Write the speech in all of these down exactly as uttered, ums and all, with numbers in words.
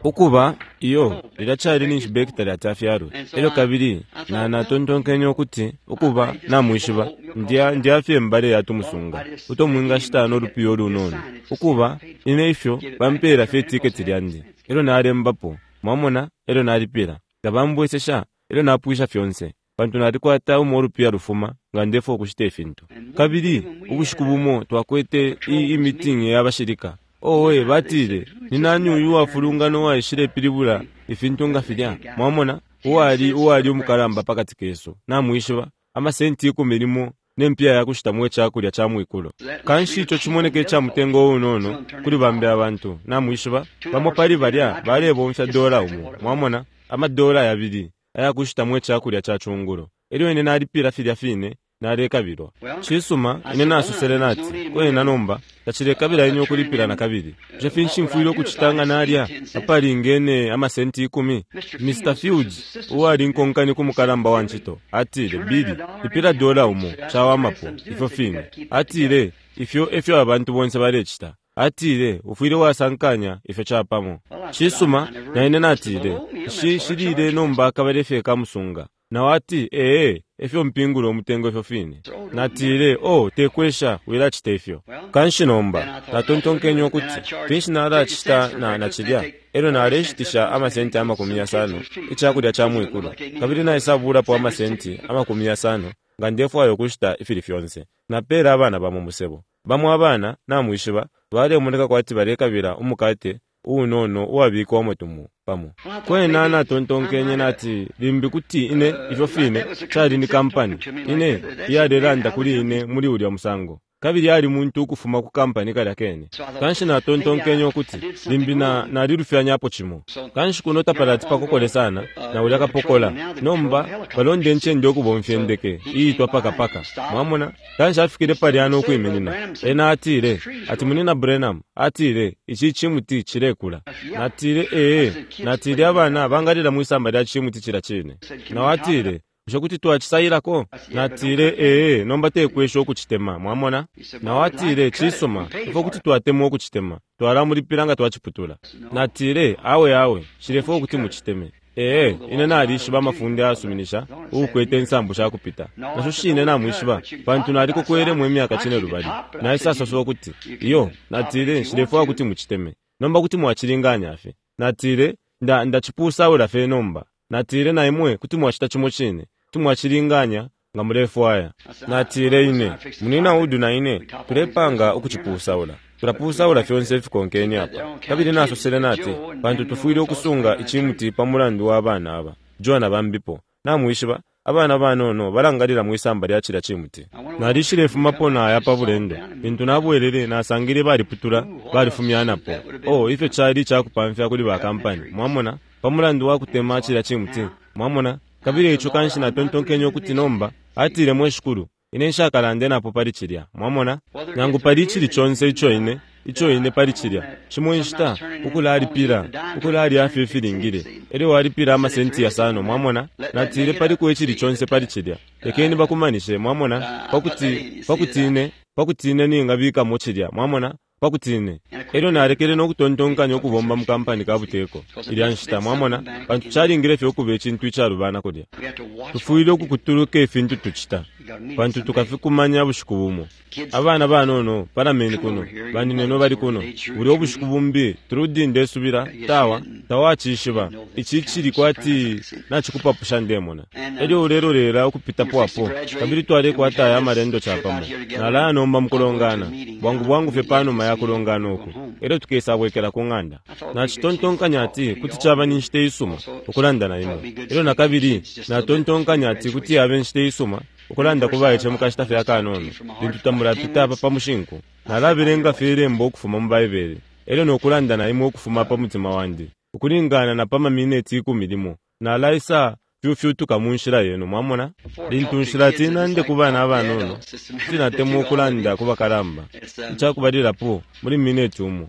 Ukuba iyo lilya cali ninshi Becky talati afyalwe. Elyo kabili na natontonkenye ukuti, ukuba, namwishiba, ndya ndya fye mbale ya tumusunga uto mwingashita no lupiya ulunono. Ukuba, ine ifyo bampela fye tiketi lyandi, elyo nalembapo, mwamona, elyo nalipila. Tabambwesesha, elyo napwisha fyonse, pantu nalikwata umo ulupiya lufuma nga ndefwaya ukushita ifintu. Kabili ubushiku bumo twakwete i, i meeting ya bashilika. Owe, batile, ni nani uyu uwafulungana uwaishilepilibula ifintu nga filya? Mwamona, uwali, uwali umukalamba pakati kesu, namwishiba, amasenti ikumi limo ne mpiya ya kushitamo icakulya ca mwikulo. Kanshi ico cimoneka ica mutengo unono kuli bambi abantu, namwishiba. Bamo pali balya balebomfya dola umo, mwamona, amadola yabili aya kushitamo icakulya ca cungulo. Elyo ine nalipila filya fine nalekabilwa. Cisuma, ine nasosele nati, kwena nomba tacilekabila ine ukulipila nakabili. Bushe finshi mfwile ukucita nga nalya apalingene amasenti ikumi? Mister Fields, uwali nkonkani ku mukalamba wa ncito, atile, Billy, lipila dola umo, cawamapo, ifyo fine. Atile, ifyo efyo abantu bonse balecita. Atile, ufwile wasankanya ifyo capamo. Cisuma, na ine natile, Nshi, nshilile nomba akabale fye kamusunga. Nao ati, Ee, efyo mpingula umutengo ifyo fine. Natile, Oh, tekwesha, wilacita ifyo. Kanshi nomba, natontonkenye ukuti, Finshi nalacita na, na cilya? Elyo naleshitisha amasenti amakumi yasano icakulya ca mwikulo, kabili naisabulapo amasenti amakumi yasano nga ndefwaya ukushita ifili fyonse. Napeele abana bamo musebo. Bamo abana, namwishiba, balemoneka kwati balekabila umukate uunono uwabikwamo tumo pamo. Kwena natontonkenye nati limbi kuti ine, ifyo fine, cali ni kampani, ine, iyalelanda kuli ine muli ulya musango. Kabili ali muntu ukufuma ku kampani kalya kene. Kanshi natontonkenye ukuti limbi na, nalilufyanyapo cimo. Kanshi kuno tapalati pakokole sana na ulya kapokola. Nomba balonda incende ukubomfya indeke iitwa pakapaka. Mwamona? Kanshi afikile palya no kwiminina. Ena atile, ati Munyina Branham, atile, ici cimuti cilekula. Natile, ee. Natile, abana bangalila mwisamba lya cimuti cila cine. Nao atile, bushe kuti twacisailako? Natile, ee, nomba tekwesha ukucitema, mwamona? Nao atile, cisuma, ifwe kuti twatemwa ukucitema. Twalamulipila nga twaciputula. Natile, awe, awe, nshilefwaya ukuti muciteme. Ee, ine nalishiba amafunde ayasuminisha uukwete insambu sha kupita. Nasho shine namwishiba, pantu nalikokwelemo imyaka cinelubali. Naisasosa ukuti, iyo, natile, nshilefwaya ukuti muciteme. Nomba kuti mwacilinganya fye. Natile, nda, ndacipusaula fye nomba. Natile, na imwe kuti mwacita cimo cine, kuti mwacilinganya nga mulefwaya. Natile, ine, Munyina Wood na ine tulepanga ukucipusaula. Tulapusaula fyonse ifikonkene apa. Kabili nasosele nati, pantu tufwile ukusunga icimuti pa mulandu wa bana aba, Joe na bambipo. Namwishiba, abana banono balangalila mwisamba lya cilya cimuti. Nalishilefumapo naya pa bulendo. Lintu nabwelele, nasangile baliputula, balifumyanapo. Oh, ifyo cali icakupamfya kuli ba kampani, mwamona, pa mulandu wa kutema cilya cimuti, mwamona. Kabili ico kanshi natontonkenye ukuti nomba, atile, mwe Shikulu, ine nshakalande napo pali cilya, mwamona, nangu pali icili conse ico ine, ico ine pali cilya. Shimo inshita, ukulalipila, ukulalya fye ifilingile, elyo walipila amasenti yasano, mwamona. Natile paliko icili conse pali cilya. Lekeni bakumanishe, mwamona, pakuti, pakuti ine, pakuti ine ningabikamo cilya, mwamona, pakuti ine. Elyo nalekele no kutontonkanya ukubomba mu kampani ka buteko ilya nshita, mwamona, pantu calingile fye ukuba icintu icalubana kulya. Tufwile ukukutuluka ifintu tucita, pantu tukafikumanya bushiku bumo. Abana banono palameni kuno, banineno bali kuno. Bulya ubushiku bumbi, Trudy, ndesubila, tawa, tawacishiba. Ici cili kwati nacikupapusha ndemona. Elyo ulelolela ukupitapo apo, kabili twalekwata aya amalendo capamo. Nalaya nomba mukulongana, bwangu bwangu fye panuma ya kulongana uku, elyo tukesabwekela ku ng'anda. Nacitontonkanya ati kuti caba ni nshita isuma ukulanda na imwe. Elyo nakabili natontonkanya ati kuti yaba inshita isuma ukulanda ku baice mu kashita fye akanono, lintu tamulapita apa pa mushinku. Nalabelenga fye ilembo ukufuma mu Baibele, elyo no kulanda na imwe ukufuma pa mutima wandi, ukulingana na pa mamineti ikumi limo. Nalaisa fyufyutuka mu nshila yenu, mwamona. Lintu nshilati nande ku bana abanono, kuti natemwa ukulanda ku bakalamba. Icakubalilapo, muli mineti umo,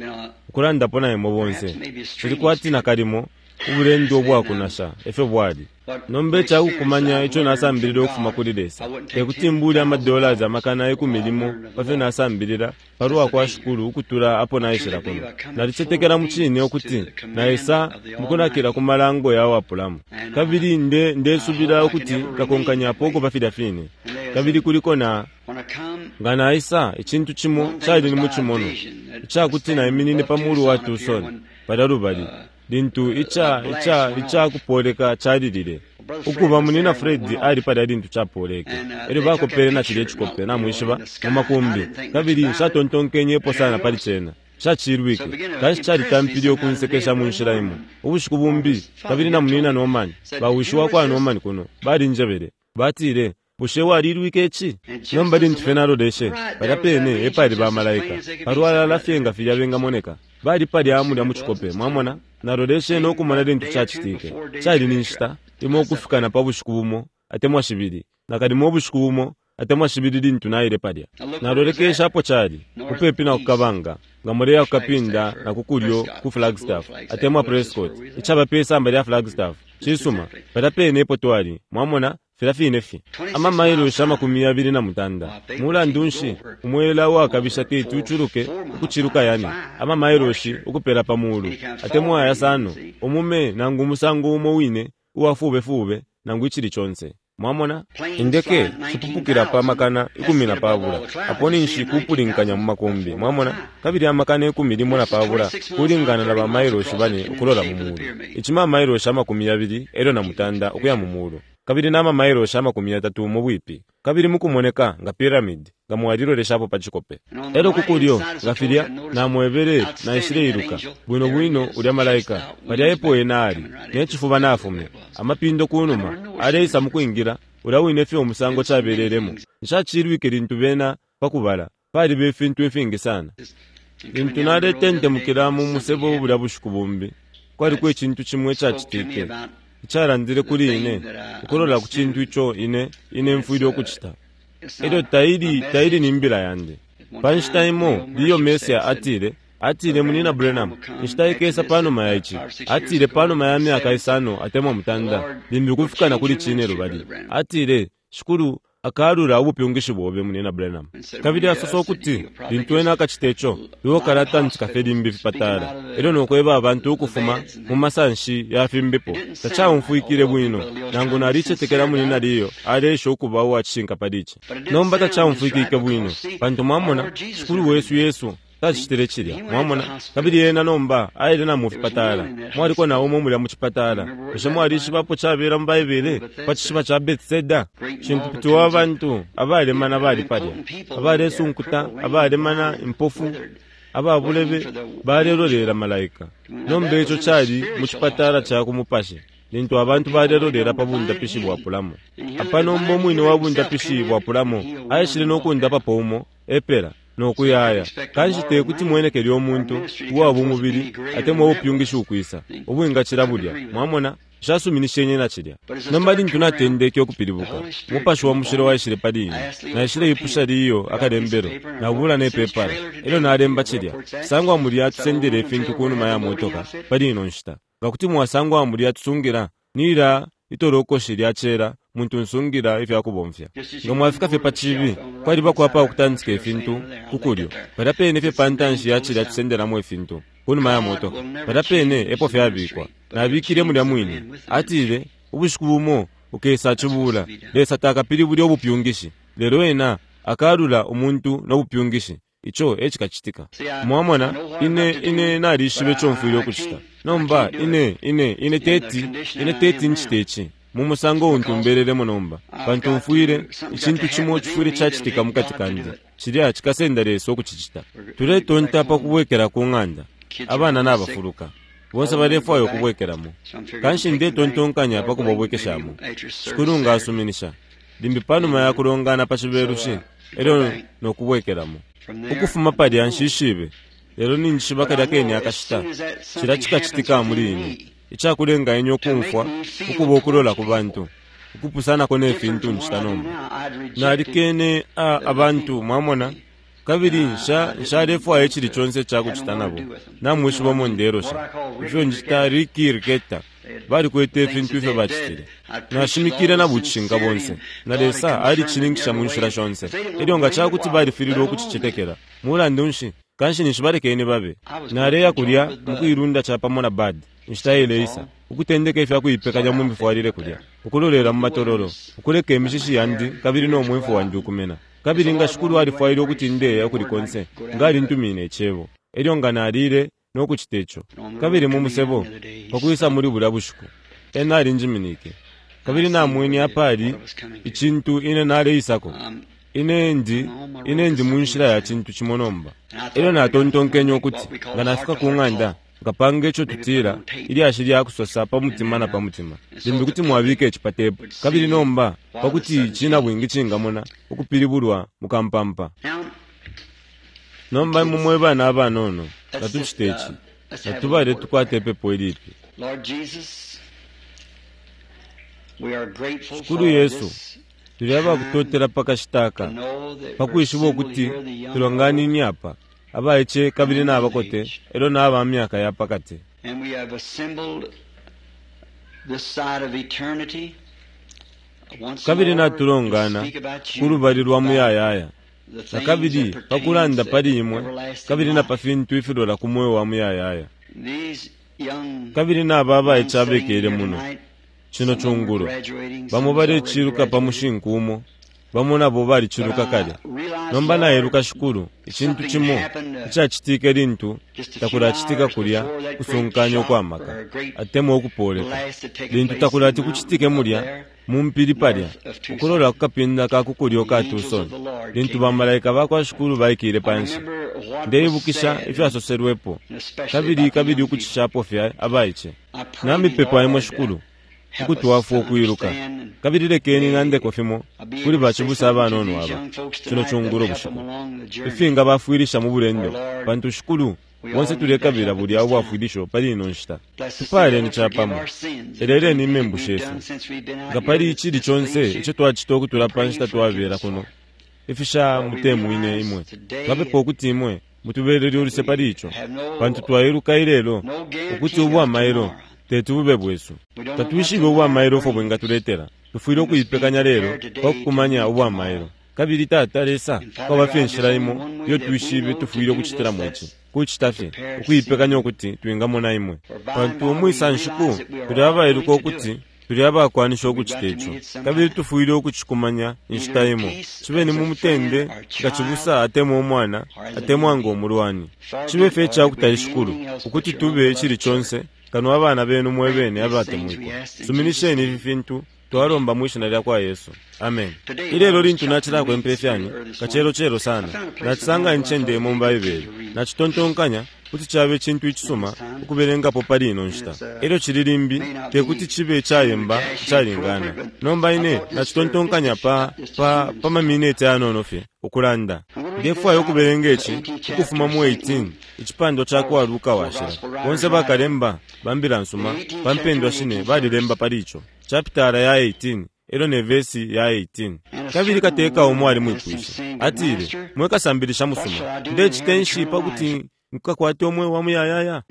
ukulandapo na imwe bonse, cili kwati nakalimo Ubulendo ubwakunasha efyo bwali. Nomba icakukumanya ico nasambilila ukufuma kuli Lesa, tekuti mbule amadollars amakana ikumi limo pafyo nasambilila palwa kwa Shikulu ukutula apo naishila kuno. Nalicetekela mucine ukuti naisa mukunakila ku malango ya wapulamo, kabili nde ndesubila ukuti nkakonkanyapo ukuba filya fine. Kabili kuliko na nga naisa icintu cimo cali ni mucimono icakuti naiminine pa mulu wa Tucson palya lubali lintu ica ica icakupoleka calilile. Ukuba munina Fred ali palya lintu capoleke, elyo bakopele na cilya icikope, namwishiba, mu makumbi, kabili nshatontonkenyepo sana pali cena. Nshacilwike, kanshi calitampile ukunsekesha mu nshila imo. Ubushiku bumbi, kabili na munina Norman, bawishi wakwa Norman kuno, balinjebele, batile, bushe walilwike ici? Nomba lintu fye naloleshe, palya pene epali bamalaika, palwalala fye nga filya bengamoneka. Bali palya mulya mu cikope, mwamona? Naloleshe nokumona lintu cacitike. Cali ni nshita imo ukufika na pa bushiku bumo atemwa shibili, nakalimo ubushiku bumo atemwa shibili lintu naile palya. Nalolekesha apo cali, mupepi na kukabanga, nga muleya kukapinda na kukulyo ku Flagstaff atemwa Prescott, icaba pe samba lya Flagstaff. Cisuma, palya pene epo twali, mwamona, filya fine fye. Amamailoshi amakumi yabili na mutanda. Mulandu nshi umwela uwakabisha teti uculuke ukuciluka yane amamailoshi ukupela pa mulu atemwa yasano, umume nangu umusango umo wine uwafubefube nangu icili conse. Mwamona, indeke shipupukila pa makana ikumi na pabula, apo ninshi kupulinkanya mu makumbi. Mwamona, kabili amakana ikumi limo na pabula kulingana na bamailoshi bane ukulola mu mulu. Ici mamailoshi amakumi yabili elyo na mutanda ukuya mu mulu, kabili na mamailoshi amakumi yatatu mu bwipi, kabili mukumoneka nga pyramid, nga mwaliloleshapo pa cikope. Elyo kukulyo nga filya namwebele naishileiluka bwino bwino ulya malaika palya epo ena ali, ne cifuba nafumya amapindo kunuma, aleisa mukwingila ulya wine fye umusango cabelelemo. Nshacilwike lintu bena pakubala paliba ifintu ifingi sana. Lintu naletentemukila mu musebo bulya bushiku bumbi, kwaliko icintu cimo icacitike icalandile kuli ine ukulola ku cintu ico ine ine mfwile ukucita. Elyo taili taili ni mbila yandi. Pa nshita imo Leo Mercier atile, atile munina Branham, inshita ikesa panuma ya ici. Atile panuma ya myaka isano atemwa mutanda, limbi kufika na kuli cine lubali. Atile, Shikulu akalula ubupyungishi bobe munina Branham. Kabili asosa ukuti lintu ena akacita ico, iwe ukalatantika fye limbi fipatala, elyo nokweba abantu ukufuma mu masanshi ya fimbipo. Tacaumfwikile bwino, nangu nalicetekela munina Leo aleesha ukuba uwacishinka pali ici. Nomba tacaumfwikike bwino, pantu mwamona, Shikulu wesu Yesu tacitile cilya, mwamona. Kabili ena nomba aile na mu fipatala, mwaliko na umo mulya mu cipatala. Bushe mwalishibapo cabela mu Baibele pa cishiba ca Bethesda? Cimpupiti wa bantu abalemana bali palya, abalesunkuta, abalemana, impofu, ababulebe, balelolela malaika. Nomba ico cali mu cipatala ca ku mupashi, lintu abantu balelolela pa bundapishi bwapulamo. Apa nomba umwine wa bundapishi bwapulamo aishile no kundapapo umo epela nokuyaya. Kanshi tekuti mwenekele umuntu uwa bumubili atemwa ubupyungishi ukwisa ubwingacila bulya. Mwamona, nshasuminishenye na cilya. Nomba lintu natendeke ukupilibuka, umupashi wa mushilo waishile pali ine. Naishile ipusha liyo akalembelo, nabula ne pepala, elyo nalemba cilya. Sangwa mulya tusendele ifintu kunuma ya motoka pali ino nshita. Nga kuti mwasangwa mulya tusungila nila itolokoshi lya cela muntu nsungila ifyakubomfya. Nga mwafika fye pa cibi, kwaliba kwapa ukutantika ifintu kukulyo, palya pene fye pa ntanshi ya cilya tusendelamo ifintu kunuma ya motoka, palya pene epo fyabikwa. Nabikile mulya mwine. Atile ubushiku bumo ukesa cibula, Lesa takapilibule ubupyungishi, lelo ena akalula umuntu no bupyungishi. Ico ecikacitika. Mwamona, ine ine nalishibe ico mfwile ukucita. Nomba ine ine ine teti ine teti ncite ici mu musango untu mbelelemo nomba, pantu mfwile icintu cimo cifwile cacitika mukati kandi, cilya cikasenda Lesa ukucicita. Tuletonta pa kubwekela ku ng'anda, abana nabafuluka bonse balefwaya ukubwekelamo. Kanshi ndetontonkanya pa kubabwekeshamo. Shikulu nga asuminisha, limbi panuma ya kulongana pa cibelushi, elyo nokubwekelamo. Ukufuma palya nshishibe, lelo ninjishiba kalya kene akashita cilya cikacitika muli ine, icakulenga ine ukumfwa ukuba ukulola ku bantu, ukupusanako ne fintu ncita nomba. Nalikene a abantu, mwamona, kabili nsha nshalefwaya icili conse icakucita nabo. Namwishiba umo ndelosha, ifyo ncita Ricky Ricketta Balikwete ifintu ifyo bacitile. Nashimikile na bucishinka bonse, na Lesa alicininkisha mu nshila shonse. Elyo nga cakuti balifililwe ukucicetekela, mulandu nshi kanshi ninshi balekeni babe. Naleya kulya mu kuilunda capamo na Bud inshita ileisa, ukutendeka ifya kuipekanya mu mifwalile kulya, ukulolela mu matololo, ukuleka imishishi yandi kabili no mwimfu wandi ukumena. Kabili nga Shikulu alifwaile ukuti ndeya ukuli konse, nga alintumine icebo. Elyo nga nalile no kucita ico. Kabili mu musebo pakwisa muli bulya bushiku, ena alinjiminike. Kabili namwene apali icintu ine naleisako. Ine ndi, ine ndi mu nshila ya cintu cimo nomba. Elyo natontonkenye ukuti nga nafika ku ng'anda, nkapanga ico tutila ilyashi lya kusosa pa mutima na pa mutima. Limbi kuti mwabika ici pa tepu. Kabili nomba pakuti icinabwingi cingamona ukupilibulwa mukampampa. Nomba imwe mwe bana abanono, natucite ici. Natubale tukwate ipepo ilipi. Shikulu Yesu, tuli abakutotela pa kashita aka, pakwishiba ukuti tulonganini apa, abaice kabili nabakote, elyo naba myaka ya pakati. Kabili natulongana ku lubali lwa muyayaya, na kabili pakulanda pali imwe, kabili na pa fintu ifilola ku mweo wa muyayaya. Kabili naba abaice abekele muno cino cungulo, bamo baleciluka pa mushinku umo, bamo nabo baliciluka kale. Nomba nailuka Shikulu, icintu cimo icacitike lintu takulacitika kulya kusunkanya ukwamaka atemwa ukupoleka, lintu takulati kucitike mulya mu mpili palya, ukulola ku kapinda ka kukulyo ka Tucson, lintu bamalaika bakwa Shikulu baikile panshi. Ndeibukisha ifyasoselwepo, kabili kabili ukucishapo fye abaice. Namipepa imwe Shikulu ukutwafwa ukwiluka, kabili lekeni nandeko fimo kuli bacibusa abanono aba cino cungulo bushiku, ifinga bafwilisha mu bulendo, pantu Shikulu bonse tulekabila bulya ubwafwilisho pali ino nshita. Tupaleni capamo, eleleni imembu shesu, nga pali icili conse ico twacita ukutula pa nshita twabela kuno, ifisha mutemwine imwe. Twapepa ukuti imwe mutubelele uluse pali ico, pantu twailuka ilelo ukuti ubwamailo teti bube bwesu. Tatwishibe ubwamailo ofo bwingatuletela. Tufwile ukuipekanya lelo pakukumanya ubwamailo. Kabili Tata Lesa, kwaba fye inshila imo iyo twishibe tufwile ukucitilamo ici, kucita fye ukuipekanya ukuti twingamona imwe. Pantu umwisa nshiku tuli abailuka ukuti tuli abakwanisha ukucita ico, kabili tufwile ukucikumanya inshita imo. Cibe ni mu mutende nga cibusa atemwa umwana atemwa nga umulwani, cibe fye icakutali Shikulu ukuti tube icili conse kano abana benu mwe bene abatemwikwa. Suminisheni ifi fintu twalomba mwishina lya kwa Yesu. Amen. Ilelo lintu nacilakwempe fyani kacelo-celo sana, nacisanga incende imo mu Baibele. Nacitontonkanya kuti cabe cintu icisuma ukubelengapo pali ino nshita. Elyo cili limbi tekuti cibe icayemba icalingana. Nomba ine nacitontonkanya pa pa pa mamineti ayanono fye ukulanda. Ndefwaya ukubelenga ici ukufuma mu eighteen, icipandwa ca kwa Luka washila. Bonse bakalemba ba mbila nsuma pa mpendwa shine balilemba pali ico. Chapitala ya eighteen elyo ne vesi ya eighteen. Kabili kateka umo alimwipwishe, atile, mwe kasambilisha musuma, ndecite nshi pakuti nkakwate umweo wa muyayaya?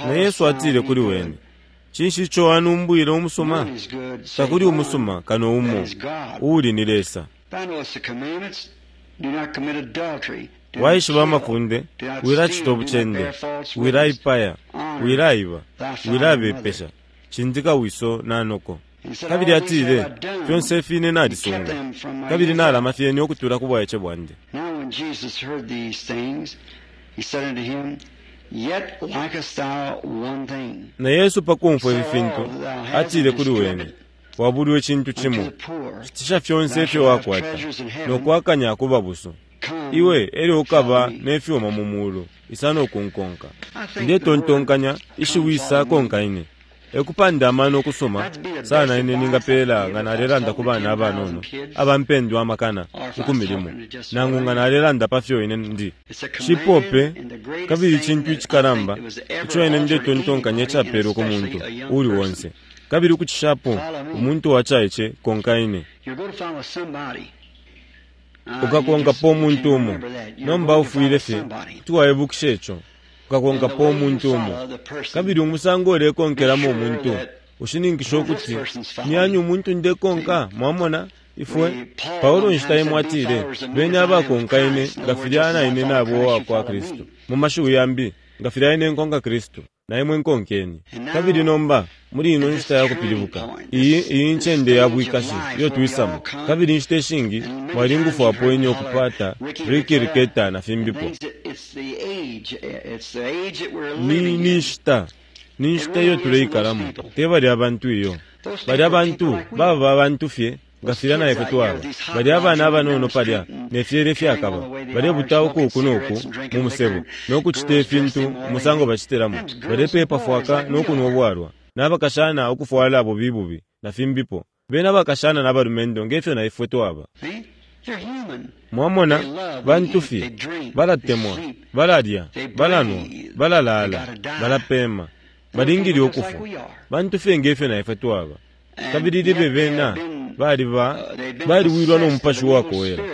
Na Yesu atile kuli wene, cinshi ico anumbwile umusuma? Takuli umusuma kano umo, uuli ni Lesa. Waishiba amafunde, wilacita ubucende, wilaipaya, wilaiba, wilabepesha, cindika wiso na noko. Kabili atile, fyonse fine nalisunga, kabili nalama fyene ukutula ku bwaice bwandi. Na Yesu pakumfwa ifi fintu, atile kuli wene, wabulwe icintu cimo, shitisha fyonse ifyo wakwata, no kwakanya ku babusu. Iwe elyo ukaba ne fyuma mu mulu, isa no kunkonka. Ndetontonkanya ishiwi isa konka ine. Ekupanda amano okusoma sana ine ningapela nga nalelanda ku bana abanono abampendwa amakana ukumilimo, nangu nga nalelanda pa fyo ine ndi cipope. Kabili icintu icikalamba ico ine ndetontonkanya icapelwe ku muntu uli onse, kabili ukucishapo umuntu wacaice konka ine. Ukakonkapo umuntu umo, nomba ufwile fye kuti waibukisha ico. Ukakonkapo umuntu umo. Kabili umusango ulekonkelamo umuntu ushininkisha ukuti ni umuntu ndekonka. Mwamona? Ifwe Paulo nshita imwe atile, bene abakonka ine nga filya na ine nabo wakwa Kristu. Mu mashiwi yambi, nga filya ine nkonka Kristu, na imwe nkonkeni. Kabili nomba muli ino nshita ya kupilibuka, iyi iyi ncende ya bwikashi iyo twisamo. Kabili inshita ishingi mwalingufwapo ine okupata Ricky Riketa na fimbipo. Ni ni nshita ni nshita iyo tuleikalamo, te bali abantu iyo. Bali abantu baba abantu fye nga filya na ifwe twaba. Bali abana abanono palya ne fyele fyakaba, balebuta uku noku mu musebo nokucita ifintu umusango bacitilamo, balepepa fwaka nokunwa ubwalwa, n'abakashana ukufwala bubi bubi na fimbipo. Bena abakashana n'abalumendo ngefyo na ifwe twaba. Mwamona, bantu fye balatemwa, balalya, balanwa, balalala, balapema, balingile ukufwa. Bantu fye ngefyo na ifwe twaba. Kabili libe bena baliba baliwilwa n'omupashi wakowera.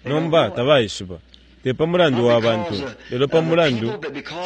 Nomba tabaishiba te pa mulandu wa bantu, lelo pa mulandu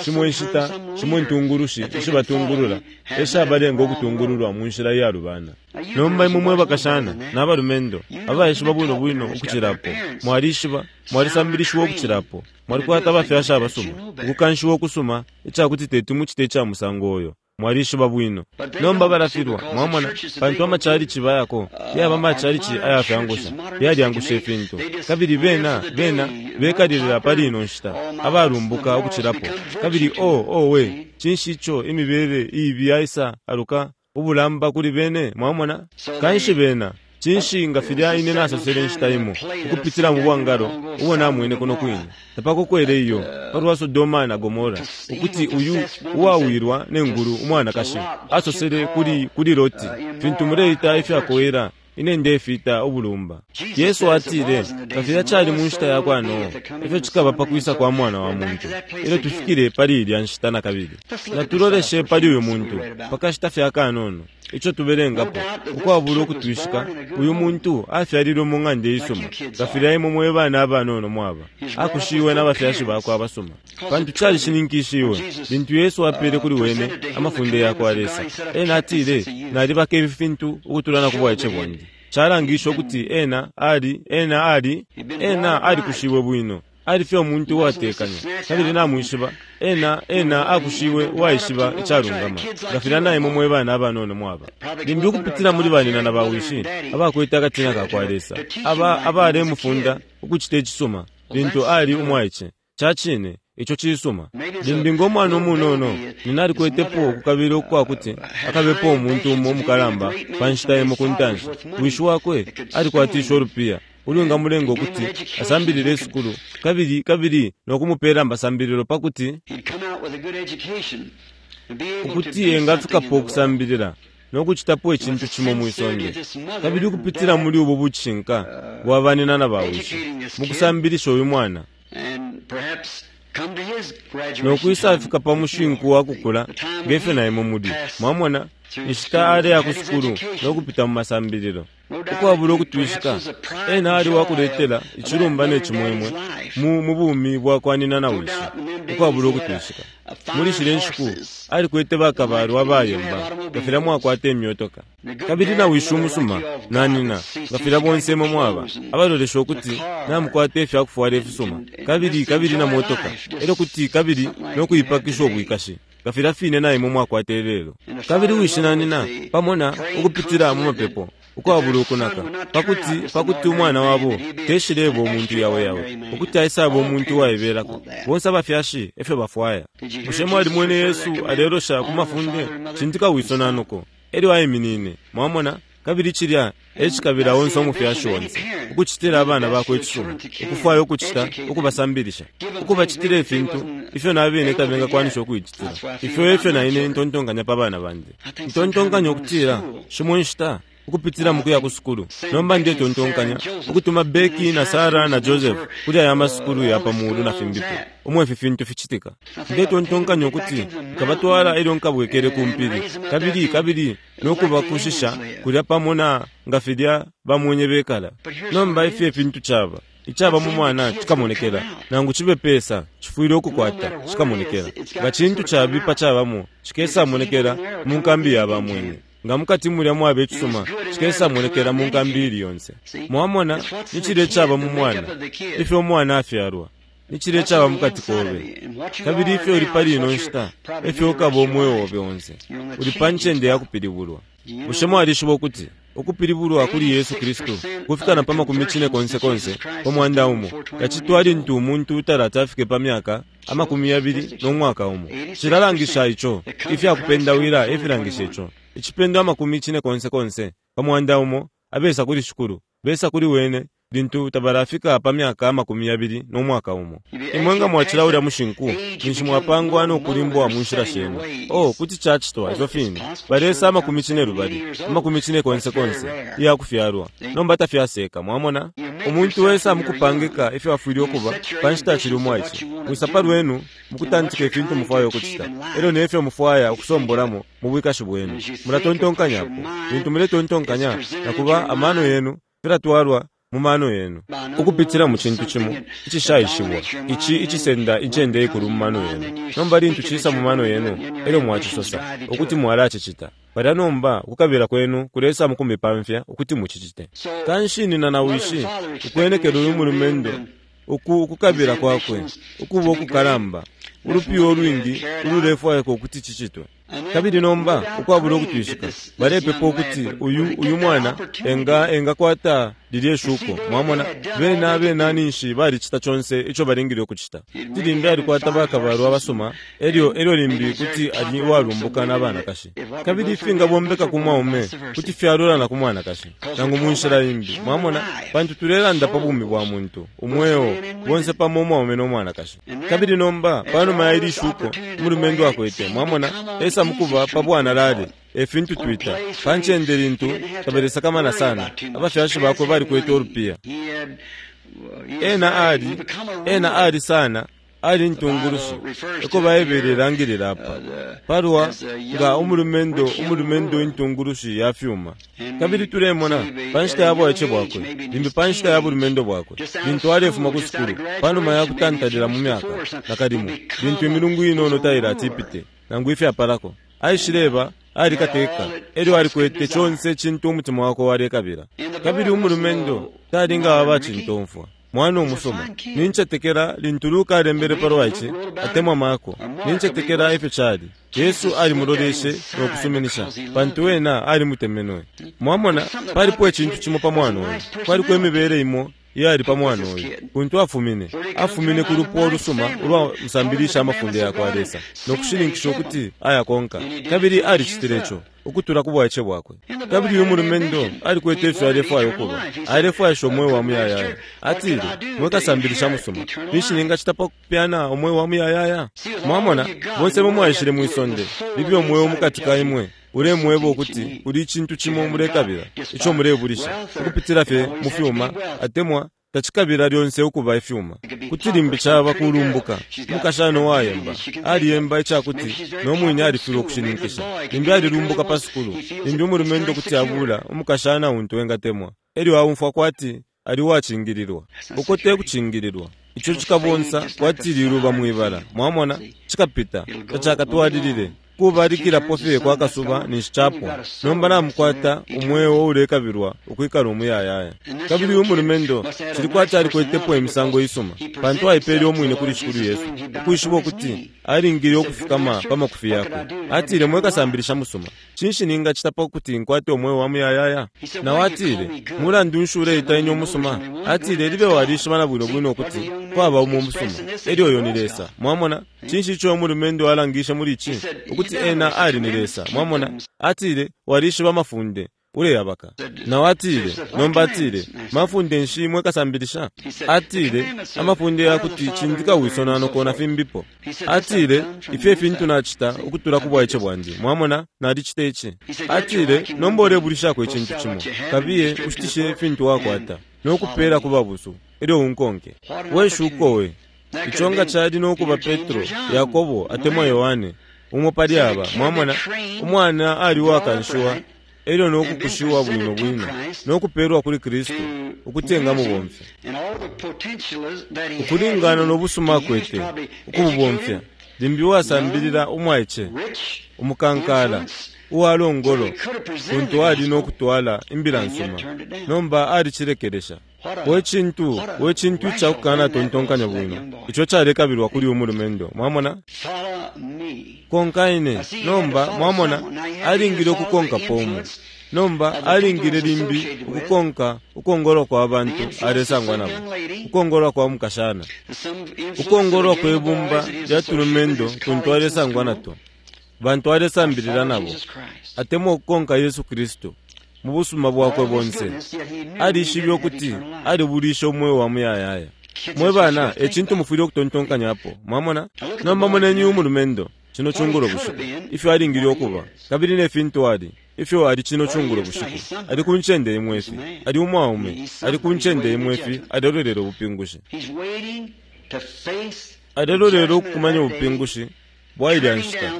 shimo inshita shimo intungulushi ishibatungulula eshabalenga okutungululwa mu nshila iyalubana. Nomba imwe mwe bakashana n'abalumendo abaishiba bwino bwino ukucilapo, mwalishiba, mwalisambilishiwa ukucilapo, mwalikwata abafyashi abasuma, ukukanshiwa okusuma icakuti teti mucite ica musango oyo. Mwalishiba bwino. Nomba balafilwa, mwamona, pantu amachalichi bayako yaba amachalichi ayafyangusha, yalyangusha ifintu. Kabili bena bena bekalilila pali ino nshita abalumbuka ukucilapo. Kabili o owe, cinshi ico imibele iibi yaisa aluka ubulamba kuli bene, mwamona? Kanshi bena cinshi nga filya ine nasosele inshita imo ukupitila mu bwangalo ubo namwene kuno kwine tapakokwele iyo palwa Sodoma na Gomora, ukuti uyu uwawilwa nengulu umwanakashi asosele kuli kuli Loti, fintu muleita ifyakowela ine ndefita ubulumba. Yesu atile nga filya cali mu nshita ya kwa Noa, ifyo cikaba pa kwisa kwa mwana wa muntu. Ilyo tufikile pali ilya nshita na kabili, natuloleshe pali uyu muntu pakashita fye akanono ico tubelengapo. Ukwabula ukutwishika, uyu muntu afyalilwe mu ng'anda isuma, nga filya imwe mwe bana abanono mwaba, akushiwe n'abafyashi bakwe abasuma. Pantu calishininkishiwe lintu Yesu apele kuli wene amafunde ya kwa Lesa. Ena atile, nalibaka ifi fintu ukutula na ku bwaice bwandi. Calangisha ukuti ena ali ena ali ena alikushiwe bwino, ali fye umuntu uwatekanya. Kabili namwishiba, ena ena akushiwe uwaishiba icalungama, nga filya na imwe mwe bana abanono mwaba. Limbi ukupitila muli banina na bawishi abakwete akatina ka kwa Lesa, aba abalemufunda ukucita icisuma lintu ali umwaice. Cacine ico cisuma. Limbi ng'omwana umunono nina alikwetepo okukabila ukwakuti akabepo umuntu umo umukalamba pa nshita imo ku ntanshi. Wishi wakwe alikwatisha olupiya ulwingamulenga ukuti asambilile isukulu, kabili kabili nokumupela amasambililo pakuti ukuti engafikapo okusambilila nokucitapo icintu cimo mwisonde. Kabili ukupitila muli ubu bucishinka bwa banina na bawishi mukusambilisha uyu mwana nokwisafika pa mushinku wa kukula ngefyo na imwe muli. Mwamona, inshita aleya ku sukulu nokupita mu masambililo ukwabula ukutwishika, ena ali wakuletela icilumba ne cimwemwe mu mu bumi bwa kwa nina na wishi. Ukwabula ukutwishika, muli shile nshiku alikwete bakabalwa abayemba nga filya mwakwata imyotoka. Kabili na wishi umusuma na nina nga filya bonse imwe mwaba abalolesha ukuti namukwata ifyakufwala ifisuma, kabili kabili na motoka, elyo kuti kabili nokuipakisha ubwikashi nga filya fine na imwe mwakwata ilelo. Kabili wishi na nina pamona ukupitila mu mapepo ukwabula ukunaka, pakuti pakuti umwana wabo teshileba umuntu yawe yawe, ukuti aisaba umuntu uwaibelako. Bonse abafyashi efyo bafwaya. Bushe mwalimwene Yesu alelosha ku mafunde? Cindika wiso nanuko elyo aiminine. Mwamona? Kabili cilya ecikabila onse umufyashi onse ukucitila abana bakwe icisuma, ukufwaya ukucita, ukubasambilisha, ukubacitila ifintu ifyo nabene tabengakwanisha ukuicitila. Ifyo efyo na ine ntontonkanya pa bana bandi. Ntontonkanya ukutila shimo nshita ukupitila mu kuya ku sukulu. Nomba ndetontonkanya ukutuma Becky na Sarah na Joseph kuli aya masukulu ya pa mulu na fimbipo umwe ifi fintu ficitika. Ndetontonkanya ukuti nkabatwala elyo nkabwekele ku mpili, kabili kabili nokubakushisha kulya pamo na nga filya bamwenye bekala. Nomba ifyo ifintu caba Icaba mu mwana cikamonekela, nangu cibe pesa cifwile ukukwata cikamonekela. Nga cintu cabipa cabamo cikesamonekela mu nkambi ya bamwenye. Nga mukati mulya mwaba icisuma cikesamonekela mu nkambi ili yonse. Mwamona, ni cilya icaba mu mwana, ifyo umwana afyalwa ni cilya icaba mukati kobe, kabili ifyo uli pali ino nshita efyo ukaba umweo obe onse. Uli pa ncende ya kupilibulwa. Bushe mwalishiba ukuti ukupilibulwa kuli Yesu Kristu kufika na pa makumi cine konse konse pa mwanda umo yacitwa lintu umuntu talati afike pa myaka amakumi yabili no mwaka umo? Cilalangisha ico, ifyakupendawila efilangisha ico. Icipendo amakumi cine konse konse pa mwanda umo abesa kuli Shikulu besa kuli wene lintu tabalafika pa myaka amakumi yabili no mwaka umo. Imwe nga mwacila ulya mushinku, ninshi mwapangwa no kulimbwa mu nshila shenu. Oh, kuti cacitwa ifyo fine. Balesa amakumi cine lubali, amakumi cine konse konse iya kufyalwa. Nomba tafyaseka, mwamona? Umuntu wesa mukupangika ifyo afwile ukuba pa nshita acili umwaice. Mwisapa lwenu mukutantika ifintu mufwaya ukucita, elyo nefyo mufwaya ukusombolamo mu bwikashi bwenu. Mulatontonkanyapo. Lintu muletontonkanya, nakuba amano yenu filatwalwa mu mano yenu ukupitila mu cintu cimo icishaishibwa, ici icisenda incende ikulu mu mano yenu. Nomba lintu cisa mu mano yenu, elyo mwacisosa ukuti mwalacicita, palya nomba ukukabila kwenu kulesa mukumipamfya ukuti mucicite. Kanshi nina na wishi ukwenekela uyu mulumendo uku ukukabila kwakwe ukuba ukukalamba, ulupiyo ulwingi ululefwaika ukuti cicitwe. Kabili nomba ukwabula ukutwishika balepepa ukuti uyu uyu mwana enga engakwata lilye shuko. Mwamona, bena bena ninshi balicita conse ico balingile ukucita. Kuti limbi alikwata bakabalwa abasuma, elyo elyo limbi kuti ali uwalumbuka n'abanakashi. Kabili ifingabombeka ku mwaume kuti fyalula na ku mwanakashi, nangu mu nshila imbi. Mwamona, pantu tulelanda pa bumi bwa muntu umweo bonse pamo umwaume no mwanakashi. Kabili nomba panuma ya ili shuko umulumendo akwete, mwamona, esa mukuba pa bwanalale efintu twita pa ncende lintu tabalesakamana sana. Abafyashi bakwe balikwete ulupiya. Ena ali ena ali sana ali ntungulushi eko Baibele ilangilila apa palwa nga umulumendo umulumendo intungulushi ya fyuma. Kabili tulemona pa nshita ya bwaice bwakwe, limbi pa nshita ya bulumendo bwakwe, lintu alefuma ku sukulu panuma ya kutantalila mu myaka nakalimo, lintu imilungu inono tailati ipite nangu ifyapalako, aishileba alikateka, elyo alikwete conse cintu umutima wakwe walekabila. Kabili umulumendo talinga aba cintomfwa, mwana umusoma. Nincetekela lintu Luka alembele palwa ici, atemwa Marko, nincetekela ifyo cali. Yesu alimuloleshe no kusuminisha, pantu wena alimutemenwe. Mwamona, palipo icintu cimo pa mwana uyu, kwaliko imibele imo iyali pa mwana uyu kuntu afumine. Afumine ku lupwa olusuma ulwa musambilisha amafunde yakwa Lesa no kushininkisha ukuti ayakonka, kabili alicitile ico ukutula ku bwaice bwakwe. Kabili uyu mulumendo alikwete ifyo alefwaya ukuba, alefwaisha umweo wa muyayaya. Atile, mwe kasambilisha musuma, finshi ningacita pa kupyana umweo wa muyayaya? Mwamona, bonse mwe mwaishile mwisonde libe umweo mukati ka imwe ulemweba ukuti uli icintu cimo mulekabila ico mulebulisha ukupitila fye mu fyuma, atemwa tacikabila lyonse ukuba ifyuma. Kuti limbi caba kulumbuka. Umukashana uwayemba aliyemba icakuti no mwine alifilwa ukushininkisha. Limbi alilumbuka pa sukulu, limbi umulumendo kuti abula umukashana untu engatemwa, elyo aumfwa kwati ali uwacingililwa. Uko te kucingililwa, ico cikabonsa kwati liluba mwibala. Mwamona, cikapita, tacakatwalilile kubalikilapo fye kwa kasuba ninshi capwa. Nomba namukwata umweo ulekabilwa ukwikala umuyayaya. Kabili uyu mulumendo cili kwati alikwetepo imisango isuma, pantu aipele umwine kuli Shikulu Yesu, ukwishiba ukuti alingile ukufikama pa makufi yakwe. Atile, mwe kasambilisha musuma, cinshi ningacita pa kuti nkwate umweo wa muyayaya? Nawe atile, mulandu nshi uleita ine umusuma? Atile, libe walishiba na bwino bwino ukuti kwaba umo umusuma, elyo uyo ni Lesa. Mwamona, cinshi ico umulumendo alangishe muli ici? Ukuti ena ali ni Lesa. Mwamona, atile, walishiba amafunde, uleyabaka. Nawe atile, nomba atile, mafunde nshi mwe kasambilisha? Atile, amafunde yakuti cindika wiso na noko na fimbipo. Atile, ifyo ifintu nacita ukutula ku bwaice bwandi. Mwamona, nalicita ici. Atile, nomba ulebulishako icintu cimo, kabiye ushitishe ifintu wakwata no kupela ku babusu, elyo unkonke. We shuko we. Ico nga cali no kuba Petro, Yakobo atemwa Yohane, umo pali aba. Mwamona, umwana ali uwakanshiwa Elyo no kukushiwa bwino bwino no kupelwa kuli Kristu ukuti engamubomfya ukulingana no busuma akwete ukububomfya. Limbi uwasambilila umwaice, umukankala, uwalongolo kuntu ali no kutwala imbila nsuma, nomba alicilekelesha. We cintu, we cintu icakukana tontonkanya bwino ico calekabilwa kuli umulumendo. Mwamona? Konka ine. Nomba mwamona, alingile ukukonka pomo. Nomba alingile limbi ukukonka ukongolwa kwa bantu alesangwa nabo, ukongolwa kwa mukashana, ukongolwa kwe bumba lya tulumendo kuntu alesangwa nato, bantu alesambilila nabo, atemwa ukukonka Yesu Kristu mu busuma bwakwe bonse. Alishibe ukuti alibulisha umweo wa muyayaya. Mwe bana, ecintu mufwile ukutontonkanyapo. Mwamona? Nomba moneni umulumendo cino cungulo bushiku, ifyo alingile ukuba kabili ne fintu ali, ifyo ali cino cungulo bushiku. Ali ku ncende imwe ifi, ali umwaume, ali ku ncende imwe ifi, alelolera ubupingushi, alelolera ukukumanya ubupingushi bwailya nshita.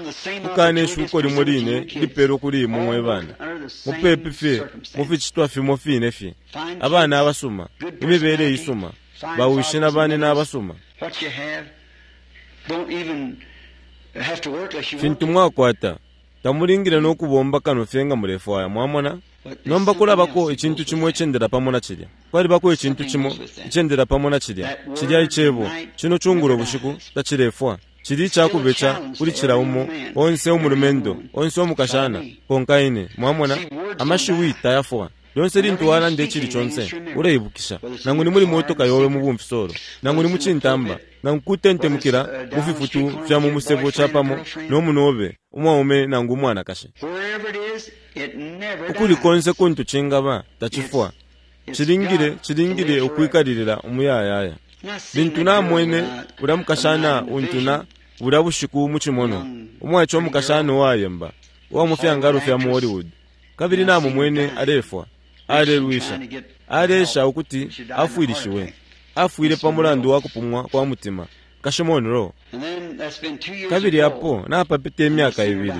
Kukana ishuko limo line lipelwa kuli imwe mwe bana, mupepi fye muficitwa fimo fine fye. Abana abasuma, imibele isuma, bawishi na bane n'abasuma. Fintu mwakwata tamulingile no kubomba kano fye nga mulefwaya. Mwamona? Nomba kulabako icintu cimo icendela pamo na cilya. Kwalibako icintu cimo icendela pamo na cilya, cilya icebo cino cungulo bushiku tacilefwa. Cili icakubeca kuli cila umo, onse umulumendo, onse umukashana. Konka ine. Mwamona? Amashiwi tayafwa. Lyonse lintu walanda icili conse uleibukisha, nangu ni muli motoka yobe mu bumfisolo, nangu ni mucintamba, nangu kutentemukila mu fifutu fya mu musebo capamo no munobe, umwaume nangu umwanakashi. Ukuli konse kuntu cingaba tacifwa. Cilingile, cilingile ukwikalilila umuyayaya. Lintu namwene ulya mukashana untuna bulya bushiku mu cimono, umwaice umukashana uwayemba uwa mu fyangalo fya mu Hollywood, kabili namumwene alefwa, alelwisha, alesha ukuti afwilishiwe, afwile pa mulandu wa kupumwa kwa mutima, Nkashi Monroe. Kabili apo napapita imyaka ibili,